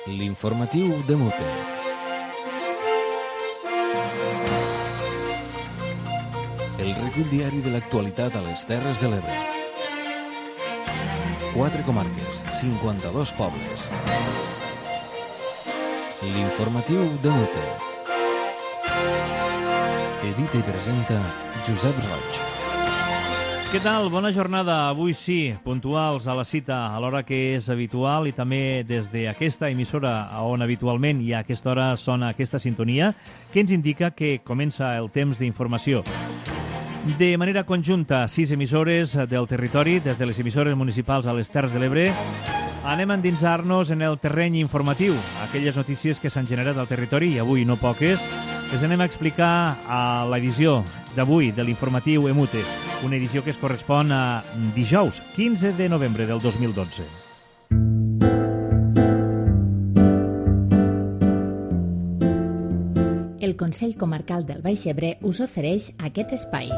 L'informatiu de Mute. El recull diari de l'actualitat a les Terres de l'Ebre. 4 comarques, 52 pobles. L'informatiu de Mute. Edita i presenta Josep Roig. Què tal? Bona jornada. Avui sí, puntuals a la cita a l'hora que és habitual i també des d'aquesta emissora on habitualment i a aquesta hora sona aquesta sintonia que ens indica que comença el temps d'informació. De manera conjunta, 6 emissores del territori, des de les emissores municipals a les Terres de l'Ebre, anem a endinsar-nos en el terreny informatiu, aquelles notícies que s'han generat al territori, i avui no poques, les anem a explicar a l'edició d'avui de l'informatiu EMUTE, una edició que es correspon a dijous, 15 de novembre del 2012. El Consell Comarcal del Baix Ebre us ofereix aquest espai.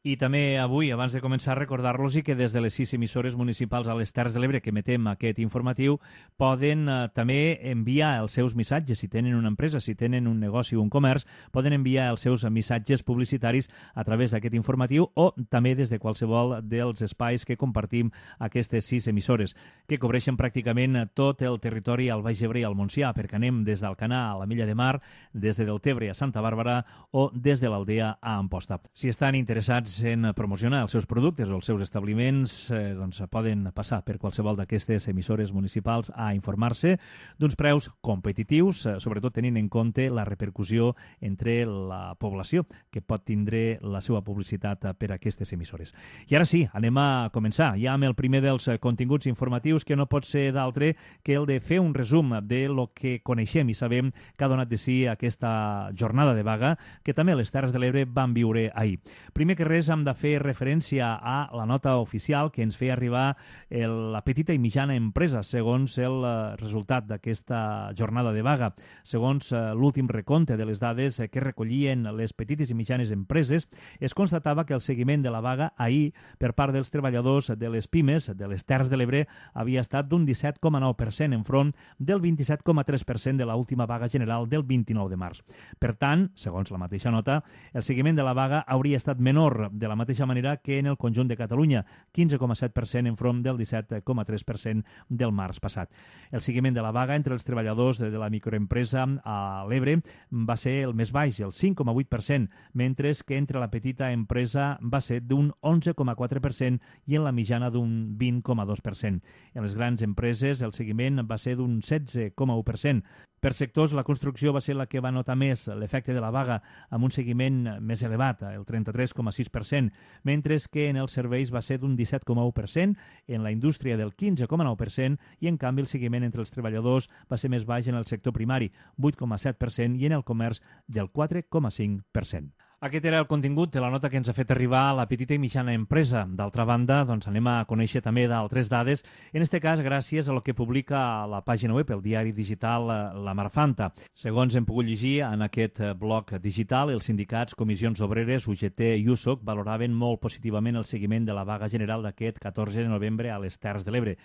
I també avui, abans de començar, recordar-los que des de les 6 emissores municipals a les Terres de l'Ebre que emetem aquest informatiu poden també enviar els seus missatges. Si tenen una empresa, si tenen un negoci o un comerç, poden enviar els seus missatges publicitaris a través d'aquest informatiu o també des de qualsevol dels espais que compartim aquestes 6 emissores, que cobreixen pràcticament tot el territori al Baix Ebre i al Montsià, perquè anem des d'Alcanar a la Mella de Mar, des de Deltebre a Santa Bàrbara o des de l'Aldea a Amposta. Si estan interessats en promocionar els seus productes o els seus establiments, doncs poden passar per qualsevol d'aquestes emissores municipals a informar-se d'uns preus competitius, sobretot tenint en compte la repercussió entre la població que pot tindre la seva publicitat per aquestes emissores. I ara sí, anem a començar ja amb el primer dels continguts informatius, que no pot ser d'altre que el de fer un resum de lo que coneixem i sabem que ha donat de si aquesta jornada de vaga que també les Terres de l'Ebre van viure ahir. Primer que res, hem de fer referència a la nota oficial que ens feia arribar la petita i mitjana empresa segons el resultat d'aquesta jornada de vaga. Segons l'últim recompte de les dades que recollien les petites i mitjanes empreses, es constatava que el seguiment de la vaga ahir per part dels treballadors de les pimes de les Terres de l'Ebre havia estat d'un 17,9% enfront del 27,3% de l'última vaga general del 29 de març. Per tant, segons la mateixa nota, el seguiment de la vaga hauria estat menor de la mateixa manera que en el conjunt de Catalunya, 15,7% enfront del 17,3% del març passat. El seguiment de la vaga entre els treballadors de la microempresa a l'Ebre va ser el més baix, el 5,8%, mentre que entre la petita empresa va ser d'un 11,4% i en la mitjana d'un 20,2%. En les grans empreses el seguiment va ser d'un 16,1%. Per sectors, la construcció va ser la que va notar més l'efecte de la vaga amb un seguiment més elevat, el 33,6%, mentre que en els serveis va ser d'un 17,1%, en la indústria del 15,9% i, en canvi, el seguiment entre els treballadors va ser més baix en el sector primari, 8,7%, i en el comerç del 4,5%. Aquest era el contingut de la nota que ens ha fet arribar la petita i mitjana empresa. D'altra banda, doncs anem a conèixer també d'altres dades, en aquest cas gràcies a lo que publica la pàgina web, el diari digital La Marfanta. Segons hem pogut llegir en aquest blog digital, els sindicats, comissions obreres, UGT i USOC valoraven molt positivament el seguiment de la vaga general d'aquest 14 de novembre a les Terres de l'Ebre.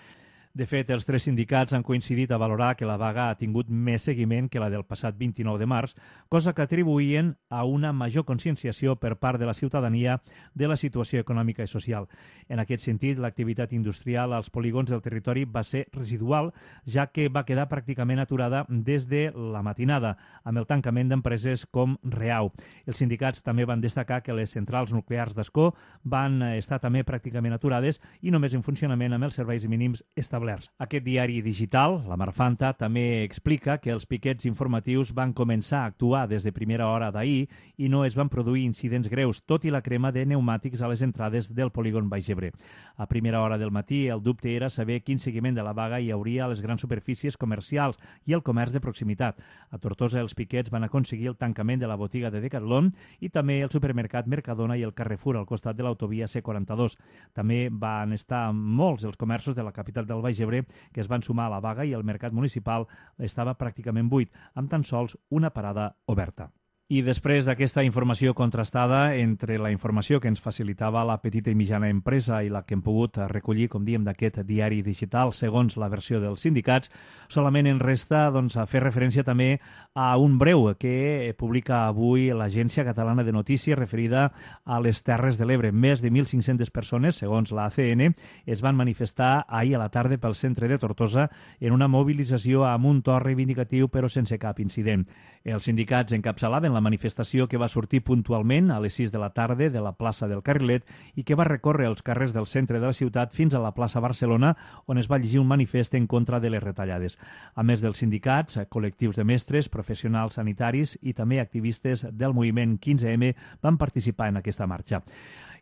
De fet, els 3 sindicats han coincidit a valorar que la vaga ha tingut més seguiment que la del passat 29 de març, cosa que atribuïen a una major conscienciació per part de la ciutadania de la situació econòmica i social. En aquest sentit, l'activitat industrial als polígons del territori va ser residual, ja que va quedar pràcticament aturada des de la matinada, amb el tancament d'empreses com Reau. Els sindicats també van destacar que les centrals nuclears d'Ascó van estar també pràcticament aturades i només en funcionament amb els serveis mínims establerts. Aquest diari digital, La Marfanta, també explica que els piquets informatius van començar a actuar des de primera hora d'ahir i no es van produir incidents greus, tot i la crema de pneumàtics a les entrades del polígon Baix Ebre. A primera hora del matí, el dubte era saber quin seguiment de la vaga hi hauria a les grans superfícies comercials i el comerç de proximitat. A Tortosa, els piquets van aconseguir el tancament de la botiga de Decathlon i també el supermercat Mercadona i el Carrefour al costat de l'autovia C42. També van estar molts els comerços de la capital del Baix Baix Ebre, que es van sumar a la vaga, i el mercat municipal estava pràcticament buit, amb tan sols una parada oberta. I després d'aquesta informació contrastada entre la informació que ens facilitava la petita i mitjana empresa i la que hem pogut recollir, com diem, d'aquest diari digital segons la versió dels sindicats, solament ens resta fer referència també a un breu que publica avui l'Agència Catalana de Notícies referida a les Terres de l'Ebre. Més de 1.500 persones, segons la ACN, es van manifestar ahir a la tarda pel centre de Tortosa en una mobilització amb un to reivindicatiu però sense cap incident. Els sindicats encapçalaven la manifestació que va sortir puntualment a les 6 de la tarda de la plaça del Carrilet i que va recórrer els carrers del centre de la ciutat fins a la plaça Barcelona, on es va llegir un manifest en contra de les retallades. A més dels sindicats, col·lectius de mestres, professionals sanitaris i també activistes del moviment 15M van participar en aquesta marxa.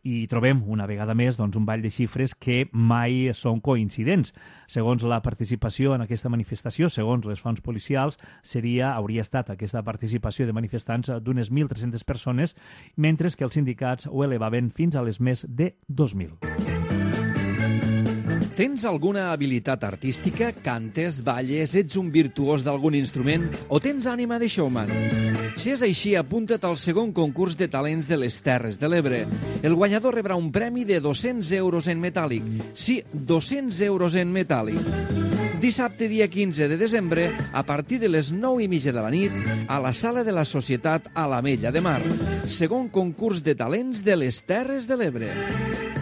I trobem una vegada més un ball de xifres que mai són coincidents. Segons la participació en aquesta manifestació, segons les fonts policials, hauria estat aquesta participació de manifestants d'unes 1.300 persones, mentre que els sindicats ho elevaven fins a les més de 2.000. Tens alguna habilitat artística? Cantes, balles, ets un virtuós d'algun instrument o tens ànima de showman? Si és així, apunta't al segon concurs de talents de les Terres de l'Ebre. El guanyador rebrà un premi de 200 euros en metàl·lic. Sí, 200 euros en metàl·lic. Dissabte, dia 15 de desembre, a partir de les 9:30 de la nit, a la Sala de la Societat a l'Ametlla de Mar. Segon concurs de talents de les Terres de l'Ebre.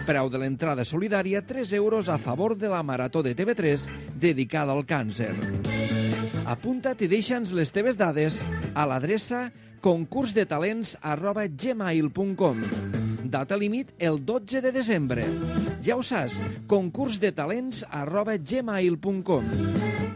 Preu de l'entrada solidària, 3 euros a favor de la Marató de TV3 dedicada al càncer. Apunta't i deixa'ns les teves dades a l'adreça concursdetalents@gmail.com. Data límit el 12 de desembre. Ja ho saps, concursdetalents@gmail.com.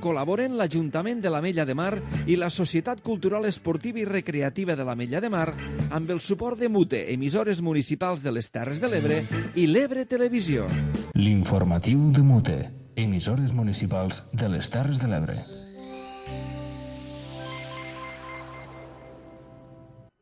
Col·laboren l'Ajuntament de l'Ametlla de Mar i la Societat Cultural Esportiva i Recreativa de l'Ametlla de Mar amb el suport de MUTE, emissores municipals de les Terres de l'Ebre i l'Ebre Televisió. L'informatiu de MUTE, emissores municipals de les Terres de l'Ebre.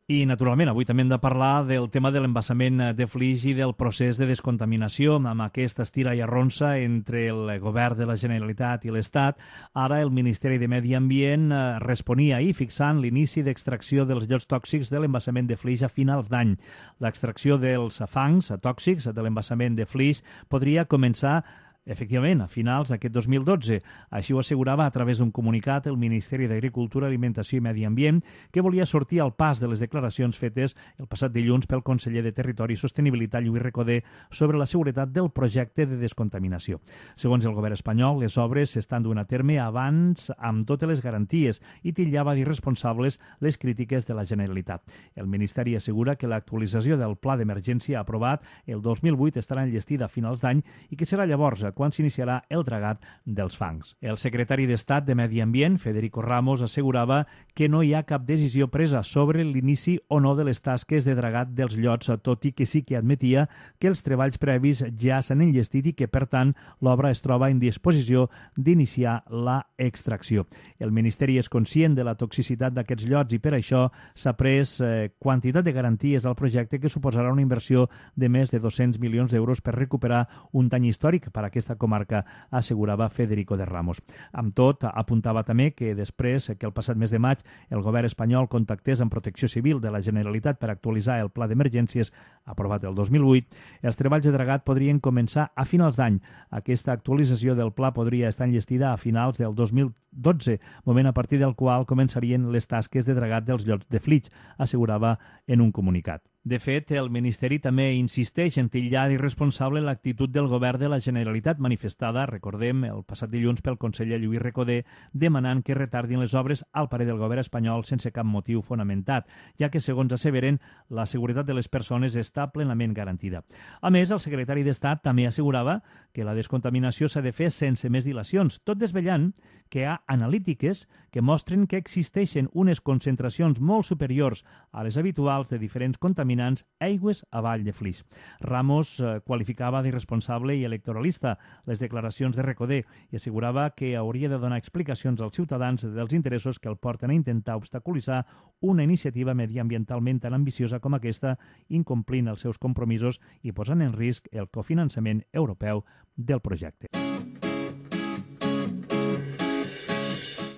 I, naturalment, avui també hem de parlar del tema de l'embassament de Flix i del procés de descontaminació amb aquesta estira i arronsa entre el govern de la Generalitat i l'Estat. Ara el Ministeri de Medi Ambient responia ahir fixant l'inici d'extracció dels llots tòxics de l'embassament de Flix a finals d'any. L'extracció dels fangs tòxics de l'embassament de Flix podria començar efectivament, a finals d'aquest 2012. Així ho assegurava a través d'un comunicat el Ministeri d'Agricultura, Alimentació i Medi Ambient, que volia sortir al pas de les declaracions fetes el passat dilluns pel conseller de Territori i Sostenibilitat, Lluís Recoder, sobre la seguretat del projecte de descontaminació. Segons el govern espanyol, les obres s'estan duent a terme abans amb totes les garanties i titllava d'irresponsables les crítiques de la Generalitat. El Ministeri assegura que l'actualització del pla d'emergència aprovat el 2008 estarà enllestida a finals d'any i que serà llavors quan s'iniciarà el dragat dels fangs. El secretari d'Estat de Medi Ambient, Federico Ramos, assegurava que no hi ha cap decisió presa sobre l'inici o no de les tasques de dragat dels llots, tot i que sí que admetia que els treballs previs ja s'han enllestit i que, per tant, l'obra es troba en disposició d'iniciar la extracció. El Ministeri és conscient de la toxicitat d'aquests llots i per això s'ha pres quantitat de garanties al projecte que suposarà una inversió de més de 200 milions d'euros per recuperar un dany històric per a aquesta comarca, assegurava Federico de Ramos. Amb tot, apuntava també que després que el passat mes de maig el govern espanyol contactés amb Protecció Civil de la Generalitat per actualitzar el pla d'emergències aprovat el 2008, els treballs de dragat podrien començar a finals d'any. Aquesta actualització del pla podria estar enllestida a finals del 2012, moment a partir del qual començarien les tasques de dragat dels llots de Flix, assegurava en un comunicat. De fet, el Ministeri també insisteix en titllar d'irresponsable l'actitud del govern de la Generalitat manifestada, recordem, el passat dilluns pel conseller Lluís Recoder, demanant que retardin les obres al parer del govern espanyol sense cap motiu fonamentat, ja que, segons asseveren, la seguretat de les persones està plenament garantida. A més, el secretari d'Estat també assegurava que la descontaminació s'ha de fer sense més dilacions, tot desvetllant que hi ha analítiques que mostren que existeixen unes concentracions molt superiors a les habituals de diferents contaminants aigües avall de Flix. Ramos qualificava d'irresponsable i electoralista les declaracions de Recoder i assegurava que hauria de donar explicacions als ciutadans dels interessos que el porten a intentar obstaculitzar una iniciativa mediambientalment tan ambiciosa com aquesta, incomplint els seus compromisos i posant en risc el cofinançament europeu del projecte.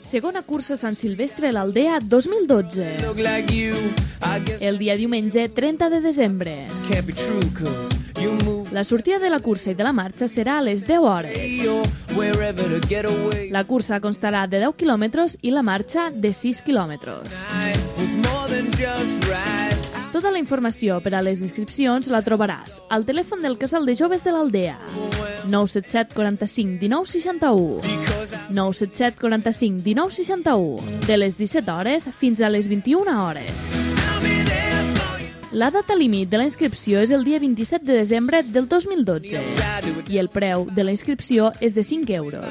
Segona cursa Sant Silvestre l'Aldea 2012. El dia diumenge 30 de desembre. La sortida de la cursa i de la marxa serà a les 10 hores. La cursa constarà de 10 quilòmetres i la marxa de 6 quilòmetres. Tota la informació per a les inscripcions la trobaràs al telèfon del Casal de Joves de l'Aldea. 977 45 19 61. 977 45 19 61. De les 17 hores fins a les 21 hores. La data límit de la inscripció és el dia 27 de desembre del 2012 i el preu de la inscripció és de 5 euros.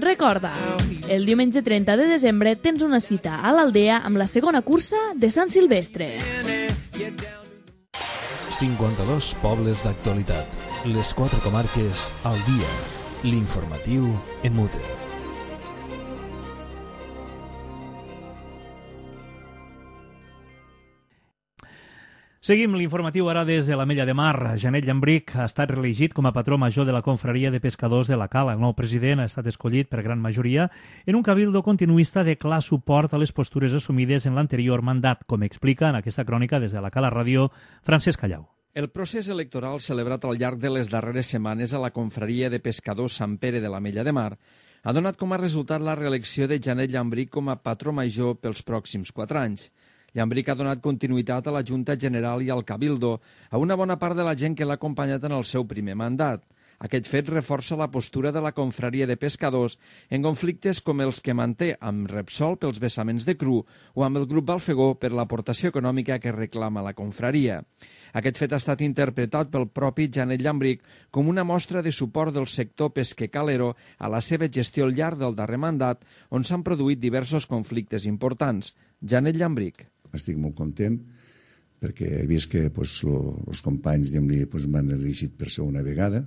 Recorda, el diumenge 30 de desembre tens una cita a l'Aldea amb la segona cursa de Sant Silvestre. 52 pobles d'actualitat. Les 4 comarques al dia. L'informatiu en mute. Seguim l'informatiu ara des de l'Ametlla de Mar. Janet Llambric ha estat reelegit com a patró major de la confraria de pescadors de la Cala. El nou president ha estat escollit per gran majoria en un cabildo continuista de clar suport a les postures assumides en l'anterior mandat, com explica en aquesta crònica des de la Cala Ràdio Francesc Callau. El procés electoral celebrat al llarg de les darreres setmanes a la confraria de pescadors Sant Pere de l'Ametlla de Mar ha donat com a resultat la reelecció de Janet Llambric com a patró major pels pròxims 4 anys. Llambric ha donat continuïtat a la Junta General i al Cabildo, a una bona part de la gent que l'ha acompanyat en el seu primer mandat. Aquest fet reforça la postura de la confraria de pescadors en conflictes com els que manté amb Repsol pels vessaments de cru o amb el grup Balfegó per l'aportació econòmica que reclama la confraria. Aquest fet ha estat interpretat pel propi Janet Llambric com una mostra de suport del sector pesquer calero a la seva gestió al llarg del darrer mandat, on s'han produït diversos conflictes importants. Janet Llambric. Estic molt content perquè he vist que els companys m'han elegit per segona vegada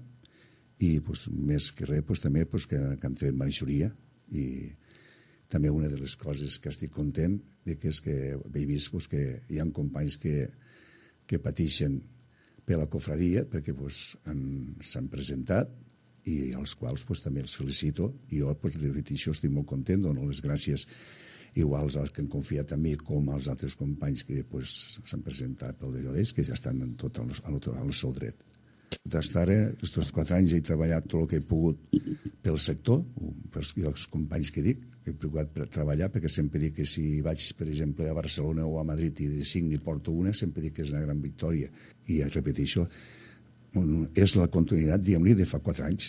i més que res també que han tret majoria, i també una de les coses que estic content és que he vist que hi ha companys que pateixen per la cofradia perquè s'han presentat i als quals també els felicito, i jo de veritat això estic molt content, dono les gràcies igual als que han confiat en mi com als altres companys que s'han presentat pel d'allò d'ells, que ja estan tot al seu dret. D'estar aquests 4 anys he treballat tot el que he pogut pel sector, i els companys que dic, he procurat treballar, perquè sempre dic que si vaig, per exemple, a Barcelona o a Madrid i de 5 n'hi porto una, sempre dic que és una gran victòria. I repeteixo, és la continuïtat, diguem-li, de fa 4 anys.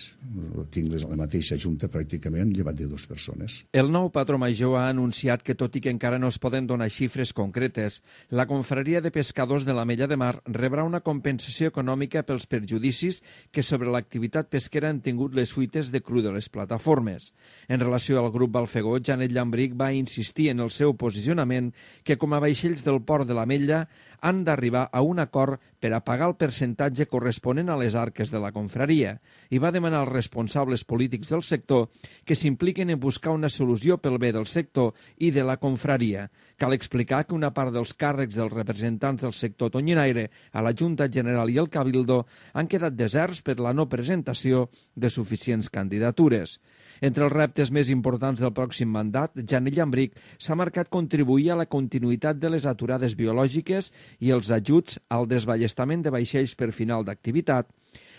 Tinc la mateixa junta pràcticament, llevat de 2 persones. El nou patró major ha anunciat que, tot i que encara no es poden donar xifres concretes, la confraria de pescadors de l'Ametlla de Mar rebrà una compensació econòmica pels perjudicis que sobre l'activitat pesquera han tingut les fuites de cru de les plataformes. En relació al grup Balfegó, Janet Llambric va insistir en el seu posicionament que, com a vaixells del port de l'Ametlla, han d'arribar a un acord per a pagar el percentatge corresponent a les arques de la confraria, i va demanar als responsables polítics del sector que s'impliquen en buscar una solució pel bé del sector i de la confraria. Cal explicar que una part dels càrrecs dels representants del sector tonyinaire a la Junta General i el Cabildo han quedat deserts per la no presentació de suficients candidatures. Entre els reptes més importants del pròxim mandat, Janet Llambric s'ha marcat contribuir a la continuïtat de les aturades biològiques i els ajuts al desballestament de vaixells per final d'activitat,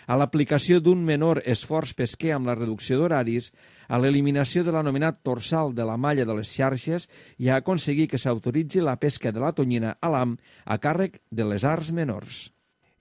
a l'aplicació d'un menor esforç pesquer amb la reducció d'horaris, a l'eliminació de l'anomenat torsal de la malla de les xarxes i a aconseguir que s'autoritzi la pesca de la tonyina a l'AM a càrrec de les arts menors.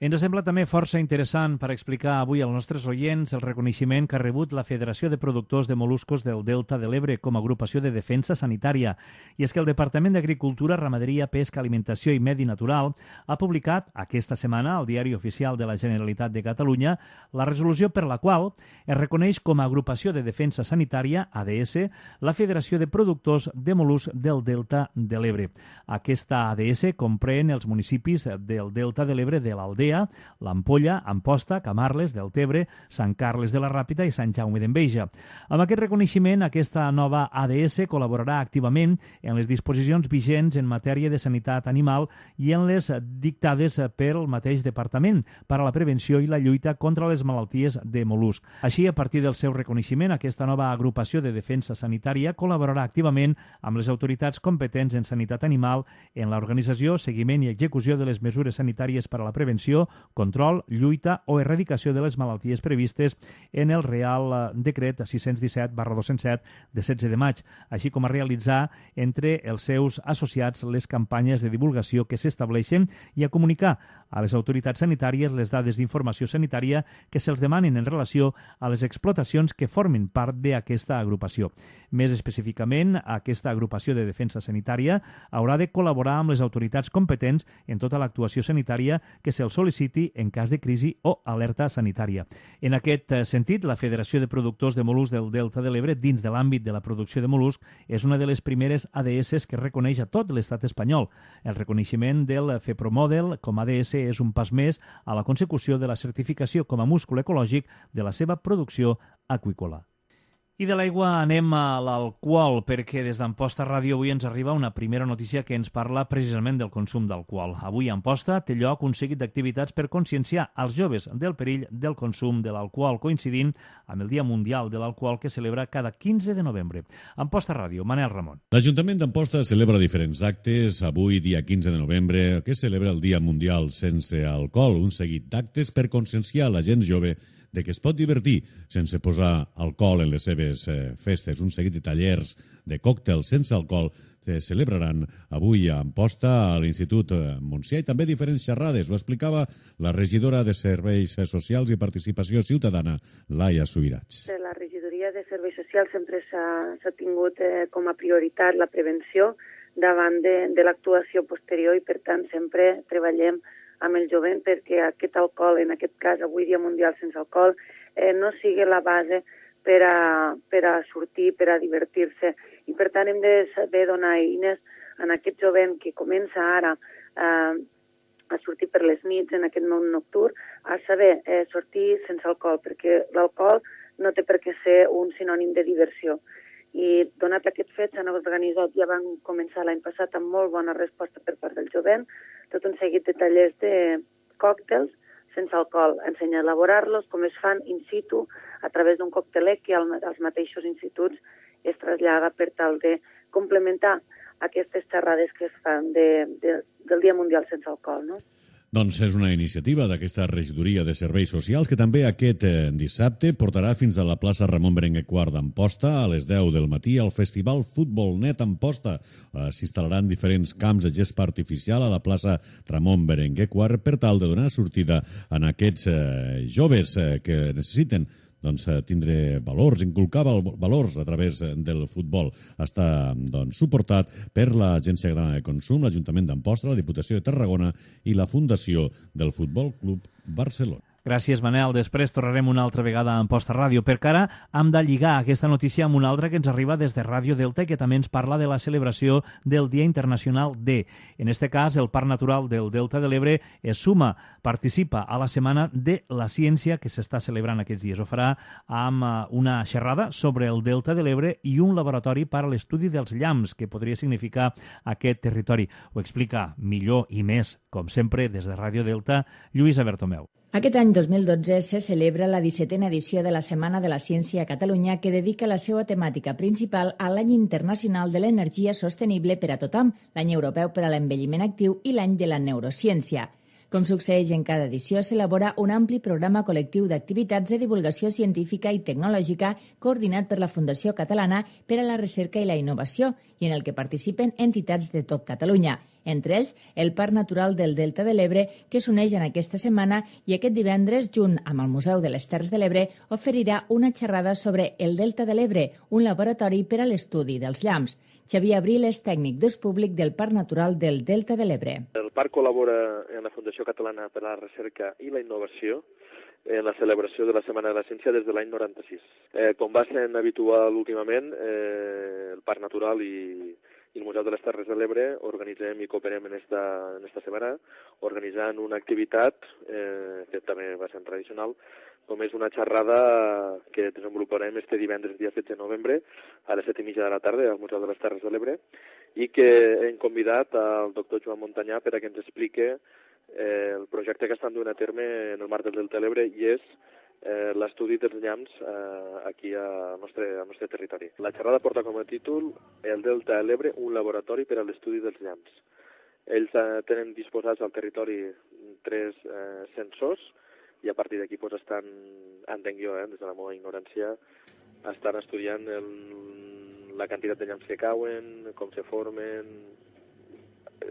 Ens sembla també força interessant per explicar avui als nostres oients el reconeixement que ha rebut la Federació de Productors de Moluscos del Delta de l'Ebre com a agrupació de defensa sanitària. I és que el Departament d'Agricultura, Ramaderia, Pesca, Alimentació i Medi Natural ha publicat aquesta setmana al Diari Oficial de la Generalitat de Catalunya la resolució per la qual es reconeix com a agrupació de defensa sanitària, ADS, la Federació de Productors de Mol·luscs del Delta de l'Ebre. Aquesta ADS comprèn els municipis del Delta de l'Ebre de l'Aldea, l'Aldea, l'Ampolla, Amposta, Camarles, Deltebre, Sant Carles de la Ràpita i Sant Jaume d'Enveja. Amb aquest reconeixement, aquesta nova ADS col·laborarà activament en les disposicions vigents en matèria de sanitat animal i en les dictades pel mateix departament per a la prevenció i la lluita contra les malalties de mol·lusc. Així, a partir del seu reconeixement, aquesta nova agrupació de defensa sanitària col·laborarà activament amb les autoritats competents en sanitat animal en l'organització, seguiment i execució de les mesures sanitàries per a la prevenció, control, lluita o erradicació de les malalties previstes en el Real Decret 617/2007 de 16 de maig, així com a realitzar entre els seus associats les campanyes de divulgació que s'estableixen i a comunicar a les autoritats sanitàries les dades d'informació sanitària que se'ls demanen en relació a les explotacions que formin part d'aquesta agrupació. Més específicament, aquesta agrupació de defensa sanitària haurà de col·laborar amb les autoritats competents en tota l'actuació sanitària que se'ls sol·liciti en cas de crisi o alerta sanitària. En aquest sentit, la Federació de Productors de Mol·luscs del Delta de l'Ebre, dins de l'àmbit de la producció de mol·luscs, és una de les primeres ADS que reconeix a tot l'estat espanyol. El reconeixement del FEPROMODEL com a ADS és un pas més a la consecució de la certificació com a múscul ecològic de la seva producció aqüícola. I de l'aigua anem a l'alcohol, perquè des d'Amposta Ràdio avui ens arriba una primera notícia que ens parla precisament del consum d'alcohol. Avui a Amposta té lloc un seguit d'activitats per conscienciar els joves del perill del consum de l'alcohol, coincidint amb el Dia Mundial de l'Alcohol que celebra cada 15 de novembre. Amposta Ràdio, Manel Ramon. L'Ajuntament d'Amposta celebra diferents actes. Avui, dia 15 de novembre, que celebra el Dia Mundial sense alcohol, un seguit d'actes per conscienciar la gent jove de que es pot divertir sense posar alcohol en les seves festes. Un seguit de tallers de còctels sense alcohol que celebraran avui a Amposta, a l'Institut Montsià, i també diferents xerrades. Ho explicava la regidora de Serveis Socials i Participació Ciutadana, Laia Subirats. La regidoria de Serveis Socials sempre s'ha tingut com a prioritat la prevenció davant de l'actuació posterior i, per tant, sempre treballem amb el jovent perquè aquest alcohol, en aquest cas avui Dia Mundial sense alcohol, no sigui la base per a sortir, per a divertir-se. I per tant hem de saber donar eines a aquest jovent que comença ara a sortir per les nits en aquest món nocturn, a saber sortir sense alcohol, perquè l'alcohol no té per què ser un sinònim de diversió. I donat aquest fet s'han organitzat, ja van començar l'any passat amb molt bona resposta per part del jovent, tot un seguit de tallers de còctels sense alcohol, ensenyar a elaborar-los, com es fan in situ, a través d'un coctelec que als mateixos instituts es trasllada per tal de complementar aquestes xerrades que es fan del Dia Mundial sense alcohol, no? Doncs és una iniciativa d'aquesta regidoria de Serveis Socials que també aquest dissabte portarà fins a la plaça Ramon Berenguer IV d'Amposta a les 10 del matí al Festival Futbol Net Amposta. S'instal·laran diferents camps de gespa artificial a la plaça Ramon Berenguer IV per tal de donar sortida a aquests joves que necessiten tindre valors, inculcar valors a través del futbol. Està suportat per l'Agència Catalana de Consum, l'Ajuntament d'Amposta, la Diputació de Tarragona i la Fundació del Futbol Club Barcelona. Gràcies, Manel. Després tornarem una altra vegada a Amposta Ràdio. Per ara hem de lligar aquesta notícia amb una altra que ens arriba des de Ràdio Delta i que també ens parla de la celebració del Dia Internacional D. En este cas, el Parc Natural del Delta de l'Ebre es suma, participa a la Setmana de la Ciència que s'està celebrant aquests dies. Ho farà amb una xerrada sobre el Delta de l'Ebre i un laboratori per a l'estudi dels llamps, que podria significar aquest territori. Ho explica millor i més, com sempre, des de Ràdio Delta, Lluïsa Bertomeu. Aquest any 2012 se celebra la 17a edició de la Setmana de la Ciència a Catalunya, que dedica la seva temàtica principal a l'Any Internacional de l'Energia Sostenible per a tothom, l'Any Europeu per a l'Envelliment Actiu i l'Any de la Neurociència. Com succeeix en cada edició, s'elabora un ampli programa col·lectiu d'activitats de divulgació científica i tecnològica coordinat per la Fundació Catalana per a la Recerca i la Innovació i en el que participen entitats de tot Catalunya, entre ells el Parc Natural del Delta de l'Ebre, que s'uneix en aquesta setmana i aquest divendres, junt amb el Museu de les Terres de l'Ebre, oferirà una xerrada sobre el Delta de l'Ebre, un laboratori per a l'estudi dels llamps. Xavier Abril és tècnic d'ús públic del Parc Natural del Delta de l'Ebre. El parc col·labora en la Fundació Catalana per a la Recerca i la Innovació en la celebració de la Setmana de la Ciència des de l'any 96. Com va sent habitual últimament, el Parc Natural i i el Museu de les Terres de l'Ebre organitzem i cooperem en esta setmana, organitzant una activitat que també va ser tradicional, com és una xerrada que desenvoluparem este divendres, dia 16 de novembre, a les 7:30 de la tarda, al Museu de les Terres de l'Ebre, i que hem convidat al doctor Joan Montanyà per a que ens explique el projecte que estan duent a terme en el marc del Delta de l'Ebre, i és l'estudi dels llamps aquí al nostre territori. La xerrada porta com a títol El Delta de l'Ebre, un laboratori per a l'estudi dels llamps. Ells tenen disposats al territori 3 sensors, i a partir d'aquí estan, entenc jo, des de la meva ignorància, estan estudiant la quantitat de llamps que cauen, com se formen,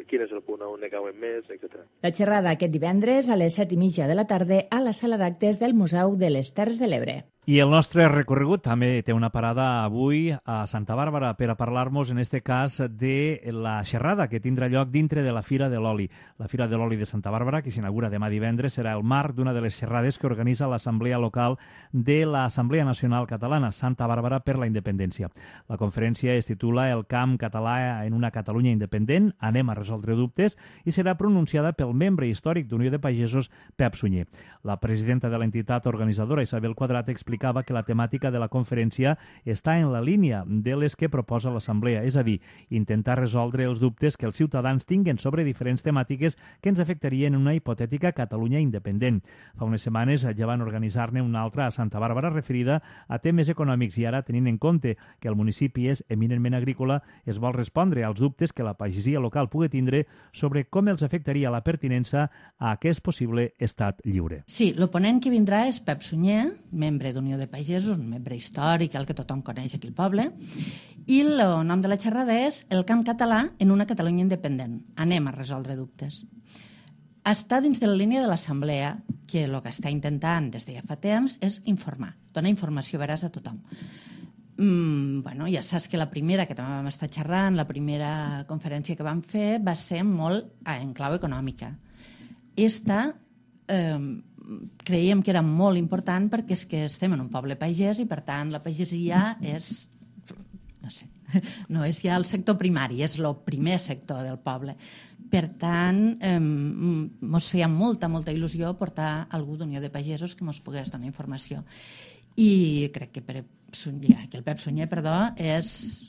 quin és el punt on ne cauen més, etc. La xerrada aquest divendres a les 7:30 de la tarda a la sala d'actes del Museu de les Terres de l'Ebre. I el nostre recorregut també té una parada avui a Santa Bàrbara per a parlar-nos, en este cas, de la xerrada que tindrà lloc dintre de la Fira de l'Oli. La Fira de l'Oli de Santa Bàrbara, que s'inaugura demà divendres, serà el marc d'una de les xerrades que organitza l'Assemblea Local de l'Assemblea Nacional Catalana, Santa Bàrbara per la Independència. La conferència es titula El camp català en una Catalunya independent, anem a resoldre dubtes, i serà pronunciada pel membre històric d'Unió de Pagesos, Pep Sunyer. La presidenta de l'entitat organitzadora, Isabel Quadrat, explicava que la temàtica de la conferència està en la línia de les que proposa l'Assemblea, és a dir, intentar resoldre els dubtes que els ciutadans tinguen sobre diferents temàtiques que ens afectarien en una hipotètica Catalunya independent. Fa unes setmanes ja van organitzar-ne una altra a Santa Bàrbara referida a temes econòmics, i ara, tenint en compte que el municipi és eminentment agrícola, es vol respondre als dubtes que la pagesia local pugui tindre sobre com els afectaria la pertinença a aquest possible estat lliure. Sí, l'oponent que vindrà és Pep Sunyer, membre d'Unió de Pagesos, un membre històric, el que tothom coneix aquí al poble, i el nom de la xerrada és El camp català en una Catalunya independent. Anem a resoldre dubtes. Està dins de la línia de l'Assemblea, que el que està intentant des de ja fa temps és informar, donar informació veraç a tothom. Ja saps que la primera que també vam estar xerrant, la primera conferència que vam fer va ser molt en clau econòmica. Esta creiem que era molt important perquè és que estem en un poble pagès i, per tant, la pagesia és, no és ja el sector primari, és el primer sector del poble. Per tant, ens feia molta il·lusió portar algú d'Unió de Pagesos que ens pogués donar informació. I crec que el Pep Sunyer, és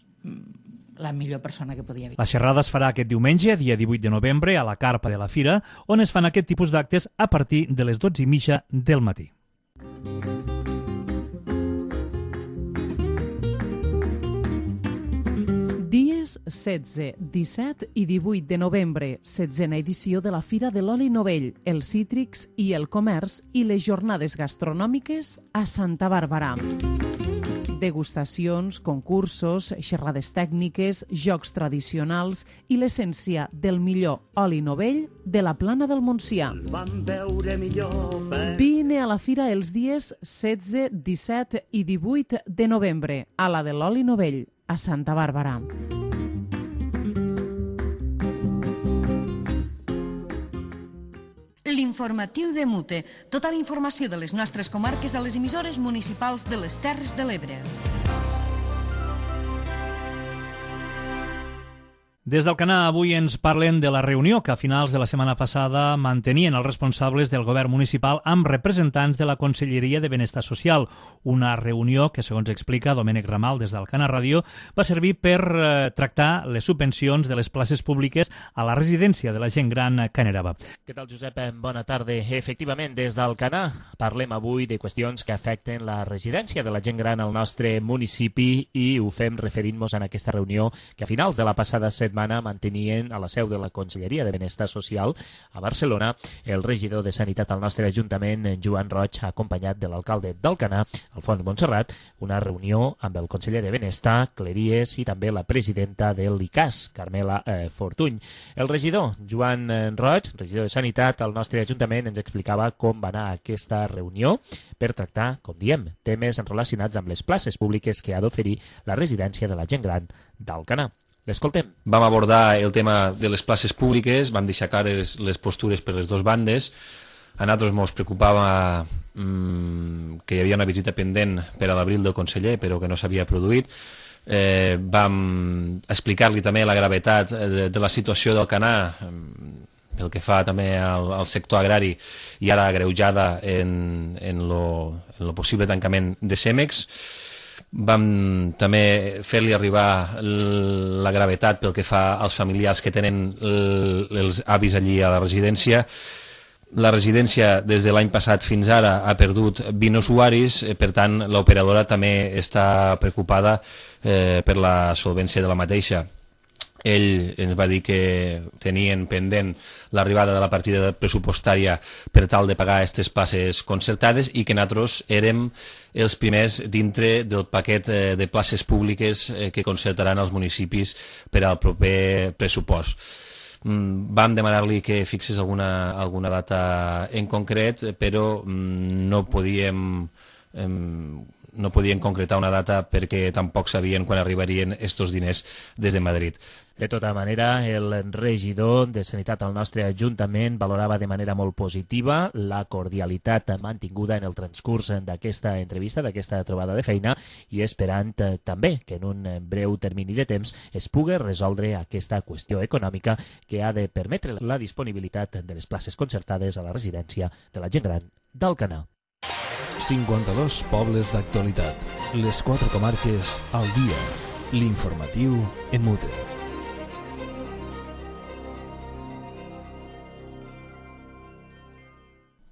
la millor persona que podia haver. La xerrada es farà aquest diumenge, dia 18 de novembre, a la carpa de la Fira, on es fan aquest tipus d'actes a partir de les 12:30 del matí. Dies 16, 17 i 18 de novembre, 16a edició de la Fira de l'Oli Novell, els cítrics i el comerç i les jornades gastronòmiques a Santa Bàrbara. Degustacions, concursos, xerrades tècniques, jocs tradicionals i l'essència del millor oli novell de la Plana del Montsià. Vine a la fira els dies 16, 17 i 18 de novembre a la de l'oli novell, a Santa Bàrbara. L'informatiu de Mute. Tota la informació de les nostres comarques a les emissores municipals de les Terres de l'Ebre. Des del Canà avui ens parlen de la reunió que a finals de la setmana passada mantenien els responsables del govern municipal amb representants de la Conselleria de Benestar Social. Una reunió que, segons explica Domènec Ramal des del Canà Ràdio, va servir per tractar les subvencions de les places públiques a la residència de la gent gran Caneraba. Què tal, Josep? Bona tarda. Efectivament, des del Canà parlem avui de qüestions que afecten la residència de la gent gran al nostre municipi i ho fem referint-nos en aquesta reunió que a finals de la passada setmana mantenien a la seu de la Conselleria de Benestar Social a Barcelona el regidor de Sanitat al nostre Ajuntament, Joan Roig, acompanyat de l'alcalde d'Alcanar, Alfons Montserrat, una reunió amb el conseller de Benestar, Cleries, i també la presidenta de l'ICAS, Carmela Fortuny. El regidor, Joan Roig, regidor de Sanitat al nostre Ajuntament, ens explicava com va anar aquesta reunió per tractar, com diem, temes relacionats amb les places públiques que ha d'oferir la residència de la gent gran d'Alcanar. L'escoltem. Vam abordar el tema de les places públiques, vam deixar clares les postures per les dues bandes. A nosaltres ens preocupava que hi havia una visita pendent per a l'abril del conseller, però que no s'havia produït. vam explicar-li també la gravetat de la situació del Canà, pel que fa també al sector agrari i ara agreujada en lo possible tancament de Cemex. Vam també fer-li arribar la gravetat pel que fa als familiars que tenen els avis allí a la residència. La residència des de l'any passat fins ara ha perdut 20 usuaris, per tant l'operadora també està preocupada per la solvència de la mateixa. Ell ens va dir que tenien pendent l'arribada de la partida pressupostària per tal de pagar aquestes places concertades i que nosaltres érem els primers dintre del paquet de places públiques que concertaran els municipis per al proper pressupost. Vam demanar-li que fixés alguna data en concret, però no podíem concretar una data perquè tampoc sabien quan arribarien estos diners des de Madrid. De tota manera, el regidor de Sanitat al nostre Ajuntament valorava de manera molt positiva la cordialitat mantinguda en el transcurs d'aquesta entrevista, d'aquesta trobada de feina, i esperant també que en un breu termini de temps es pugui resoldre aquesta qüestió econòmica que ha de permetre la disponibilitat de les places concertades a la residència de la gent gran d'Alcanar. 52 pobles d'actualitat. Les 4 comarques al dia. L'informatiu en Mute.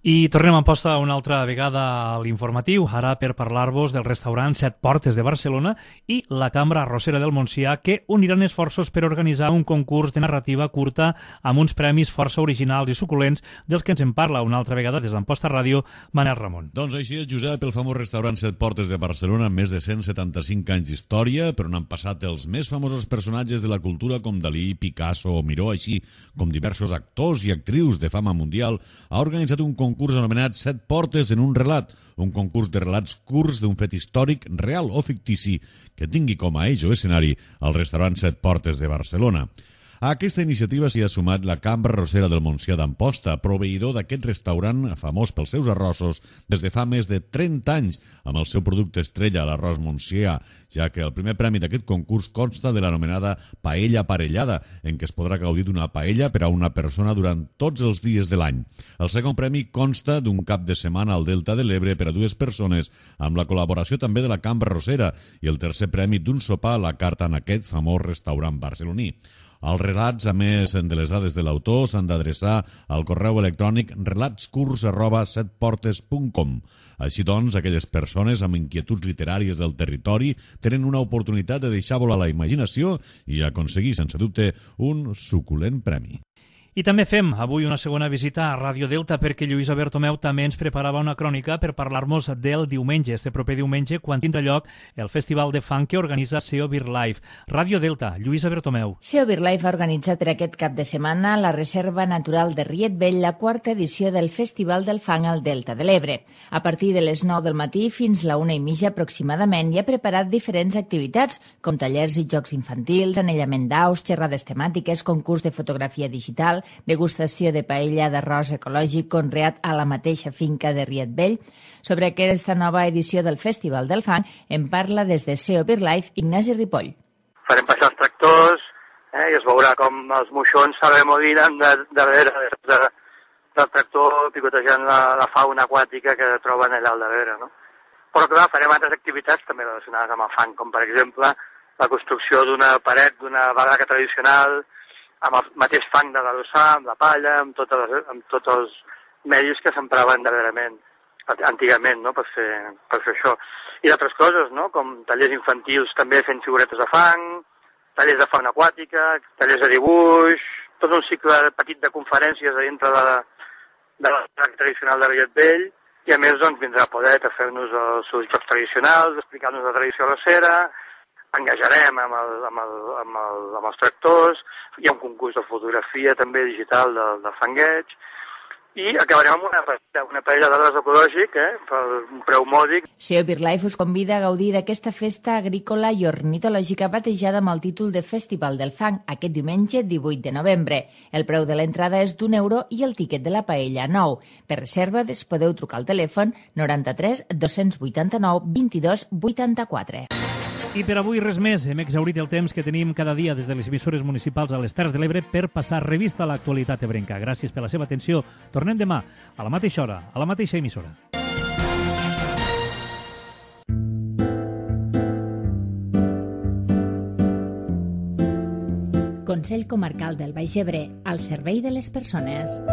I tornem a Amposta una altra vegada a l'informatiu, ara per parlar-vos del restaurant Set Portes de Barcelona i la Cambra Arrossera del Montsià, que uniran esforços per organitzar un concurs de narrativa curta amb uns premis força originals i suculents dels que ens en parla una altra vegada des d'Amposta Ràdio, Manel Ramon. Doncs així és, Josep, el famós restaurant Set Portes de Barcelona, amb més de 175 anys d'història, per on han passat els més famosos personatges de la cultura com Dalí, Picasso o Miró, així com diversos actors i actrius de fama mundial, ha organitzat un concurs anomenat Set Portes en un relat, un concurs de relats curts d'un fet històric, real o fictici, que tingui com a eix o escenari el restaurant Set Portes de Barcelona. A aquesta iniciativa s'hi ha sumat la Cambra Arrossera del Montsià d'Amposta, proveïdor d'aquest restaurant famós pels seus arrossos des de fa més de 30 anys, amb el seu producte estrella, l'arròs montsià, ja que el primer premi d'aquest concurs consta de l'anomenada paella aparellada, en què es podrà gaudir d'una paella per a una persona durant tots els dies de l'any. El segon premi consta d'un cap de setmana al Delta de l'Ebre per a 2 persones, amb la col·laboració també de la Cambra Arrossera, i el tercer premi d'un sopar a la carta en aquest famós restaurant barceloní. Els relats, a més de les dades de l'autor, s'han d'adreçar al correu electrònic relatscurs@setportes.com. Així doncs, aquelles persones amb inquietuds literàries del territori tenen una oportunitat de deixar volar la imaginació i aconseguir, sense dubte, un suculent premi. I també fem avui una segona visita a Ràdio Delta perquè Lluïsa Bertomeu també ens preparava una crònica per parlar-nos del diumenge, este proper diumenge, quan tindrà lloc el Festival de Funk que organitza SEO Beer Life. Ràdio Delta, Lluïsa Bertomeu. SEO Beer Life ha organitzat per aquest cap de setmana la Reserva Natural de Riet Vell, la 4ª edició del Festival del Funk al Delta de l'Ebre. A partir de les 9 del matí fins la 1:30 aproximadament hi ha preparat diferents activitats, com tallers i jocs infantils, anellament d'aus, xerrades temàtiques, concurs de fotografia digital, degustació de paella d'arròs ecològic conreat a la mateixa finca de Riet Vell. Sobre aquesta nova edició del Festival del Funk en parla des de SEO Beer Life Ignasi Ripoll. Farem passar els tractors i es veurà com els moixons s'arremolinen darrere del tractor picotejant la fauna aquàtica que troben allà al darrere, no? Però clar, farem altres activitats també relacionades amb el funk, com per exemple la construcció d'una paret d'una barraca tradicional amb el mateix fang de l'adossar, amb la palla, amb tots els medis que s'empraven darrerament, antigament, no?, per fer això. I d'altres coses, no?, com tallers infantils també fent figuretes de fang, tallers de fauna aquàtica, tallers de dibuix, tot un cicle petit de conferències a dintre de la tradicional de Riet Vell, i a més doncs vindrà a poder fer-nos els seus jocs tradicionals, explicar-nos la tradició arrossera, engajarem amb els tractors, hi ha un concurs de fotografia també digital de fangueig, i acabarem amb una paella d'arròs ecològic per un preu mòdic. SEO Beer Life us convida a gaudir d'aquesta festa agrícola i ornitològica batejada amb el títol de Festival del Fang aquest diumenge 18 de novembre. El preu de l'entrada és d'€1 i el tiquet de la paella 9. Per reserves podeu trucar al telèfon 93 289 22 84. I per avui res més. Hem exhaurit el temps que tenim cada dia des de les emissores municipals a les Terres de l'Ebre per passar revista a l'actualitat ebrenca. Gràcies per la seva atenció. Tornem demà, a la mateixa hora, a la mateixa emissora. Consell Comarcal del Baix Ebre, al servei de les persones.